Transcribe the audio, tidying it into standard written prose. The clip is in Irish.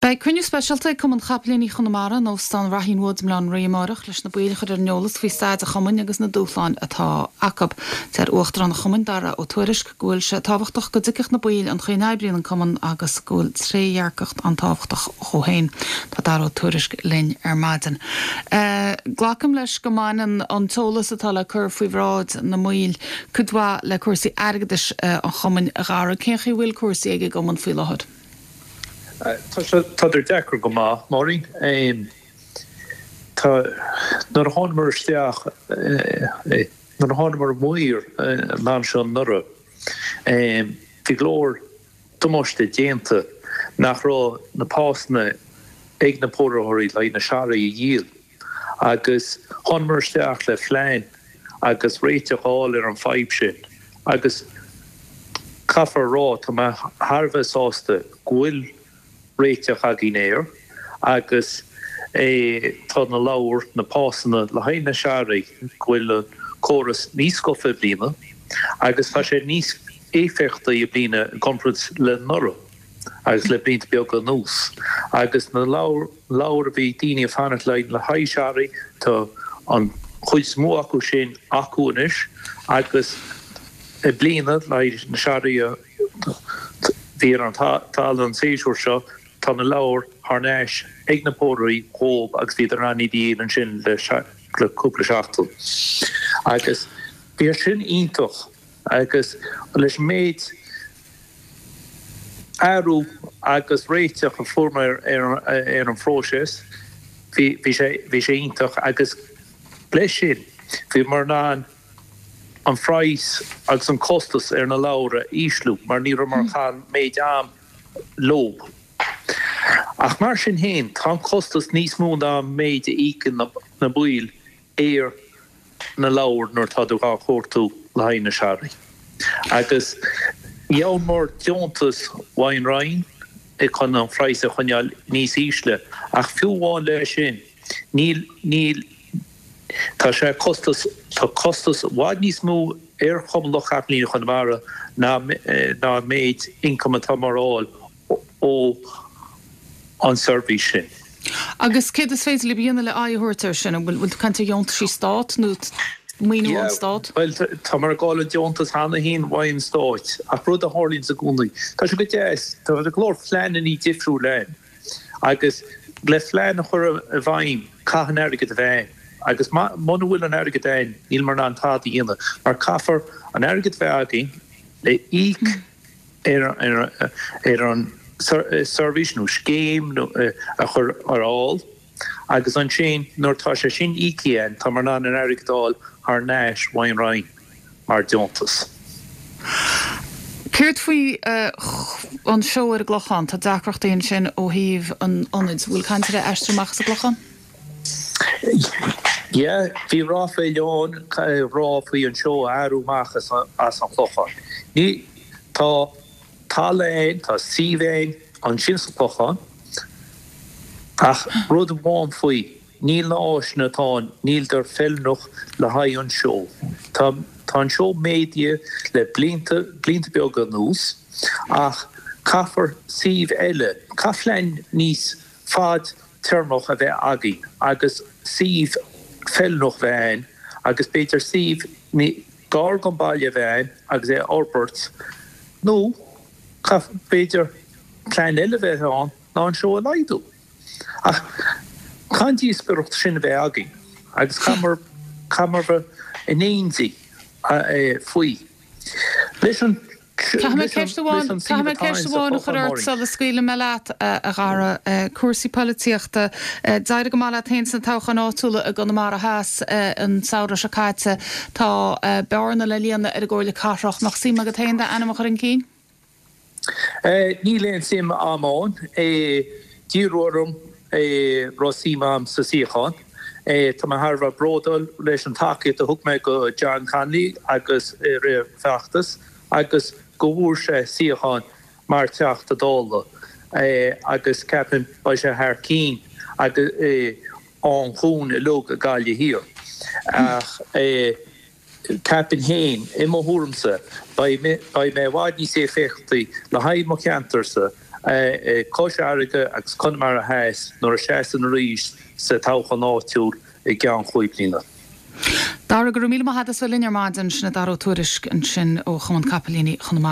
Beidh cruinniú speisialta ag Cumann Chapaillíní Chonamara in Óstán Raheen Woods i mBaile Átha an Rí amárach leis na baill a chur ar an eolas faoi staid an chumainn agus na dúshláin atá acu. Deir Uachtarán an chumainn, Dara Ó Tuairisg, go bhfuil sé tábhachtach go dtuigfeadh na baill an chaoi a n-oibríonn an cumann agus go bhfuil trédhearcacht an-tábhachtach dhó féin. Tá Dara Ó Tuairisg linn ar maidin. Glacaim leis go mbaineann an t-eolas atá le cur faoi bhráid na mbaill cuid mhaith le cúrsaí airgeadais an chumainn, a Dhara. Cén chaoi a bhfuil cúrsaí ag an gcumann faoi láthair? Tá sé, tádar deacair go maith, Máirín. Tá, nuair a thánamar isteach, nuair a thánamar anoir an am seo anuraidh, bhí go leor damáiste déanta nach raibh na pasanna ag na póraitheoirí le haghaidh na searraigh a dhíol. Agus thánamar isteach le phlean agus réiteach a fháil ar an fadhb sin agus caithfear a rá, tá mé thar a bheith sásta go bhfuil réiteach againn air agus tá na leabhair, na pasanna le haghaidh na searraigh, go bhfuil an córas níos scafa i mbliana agus tá sé níos éifeachtaí i mbliana i gcomparáid le anuraidh. agus le blianta beaga anuas. Agus na leabhair a bhí daoine ag fanacht le le haghaidh searraigh, tá an chuid is mó acu sin acu anois agus i mbliana le haghaidh na searraigh a bhí ar an talamh an séasúr seo, tá na leabhair thar n-ais ag na póraitheoirí dhóib agus bhíodar in ann iad a dhíol ansin le cúpla seachtain. Agus bhí sin iontach agus leis an méid. athrú agus réiteach a fuaireamar ar an phróiseas, bhí sé bhí sé iontach agus leis sin bhíomar in ann an phraghas agus an costas ar na leabhair a ísliú mar ní rabhamar ag caitheamh an méid am leo. Ach mar sin féin tá an costas níos mó ná an méid a íocann na baill ar na leabhair nuair atá tú dhá chuartú le haghaidh na searraigh. Agus gheobhamar deontas Wine Roinn chun an phraghas a choinneáil níos ísle ach fiú amháin leis sin níl, níl, tá sé costas, tá costas i bhfad níos mó ar Chumann Lucht Capaillíní Chonamara ná ná an méid ioncaim atá mar fháil ó an seirbhís sin. Agus céard is féidir libh a dhéanamh le aghaidh a thabhairt air sin? An bhfuil tú ag caint ar dheontaisí Stát nó maoiniú ón Stát? Bhuel, táimid ag fáil an deontas cheana féin uaidh an Stáit, ach rud a tharlaíonns i gcónaí, tá sé go deas, tá go leor phleanannaí difriúla ann agus le phlean a chur i bhfeidhm caithfidh an airgead a bheith ann agus muna bhfuil an airgead ann níl mar in ann tada a dhéanamh mar caithfear an airgead a bheith againn le íoc ar an seirbhís nó scéim a chur ar fháil agus ansin nuair atá sé sin íoctha againn táimid in ann an airgead a fháil thar n-ais ón Roinn mar deontas. Céard faoi an seó ar an gClochán? Tá deacrachtaí ansin ó thaobh an ionaid. Bhfuil caint ar aistriú amach as an gClochán? Yeah, bhí ráflaí ann ag rá faoi an seó a athrú amach as an Chlochán. Ní, tá talamh ann, tá suíomh ann ansin sa Chlochán, ach rud amháin faoi, níl na áiseanna atá ann, níldar feiliúnach le haghaidh an seó. Tá, tá an seó méadaithe le blianta, blianta beaga anuas, ach caithfear suíomh eile, caithfidh plean níos fad téarmach a bheith againn agus suíomh feiliúnach a bheith ann agus b'fhéidir suíomh gar don baile a bheith ann agus é a fhorbairt nó b'fhéidir plean eile a bheith ann ná an seó a laghdú. Ach caithfidh an díospóireacht sin a bheith againn agus caithfear caithfear bheith in éindí faoi. Leis an Caithfidh mé ceist amháin, caithfidh mé ceist amháin a chur ort sula scaoilfidh mé leat, a Dhara. Cúrsaí polaitíochta. D'éirigh go maith leat féin sna toghcháin áitiúla i gConamara Theas an samhradh seo caite. Tá bearna le líonadh ar an gComhairle Cathrach. Mbeadh suim agat féin d'ainm a chur chun cinn? Níl aon suim a'm ann. D'iarradh orm raibh suim a'm sa suíochán. Tá mé thar a bheith bródúil leis an tacaíocht a thug mé go John Connolly agus i rith an feachtas agus go bhfuair sé suíochán mar Teachta Dála agus ceapaim beidh sé thar cinn agus ann dhúinn uilig i Gaillimh Thiar. Ach ceapaim féin, i mo thuairimse, beidh mé i bhfad níos éifeachtaí le haghaidh mo cheantarsa. Cois Fharraige agus Conamara Theas nuair a seasann arís sa toghchán áitiúil i gceann chúig bliana. Dara, go raibh míle maith agat as bheith linn ar maidin. Sin é Dara Ó Tuairisg ansin ó Chumann Capaillíní Chonamara.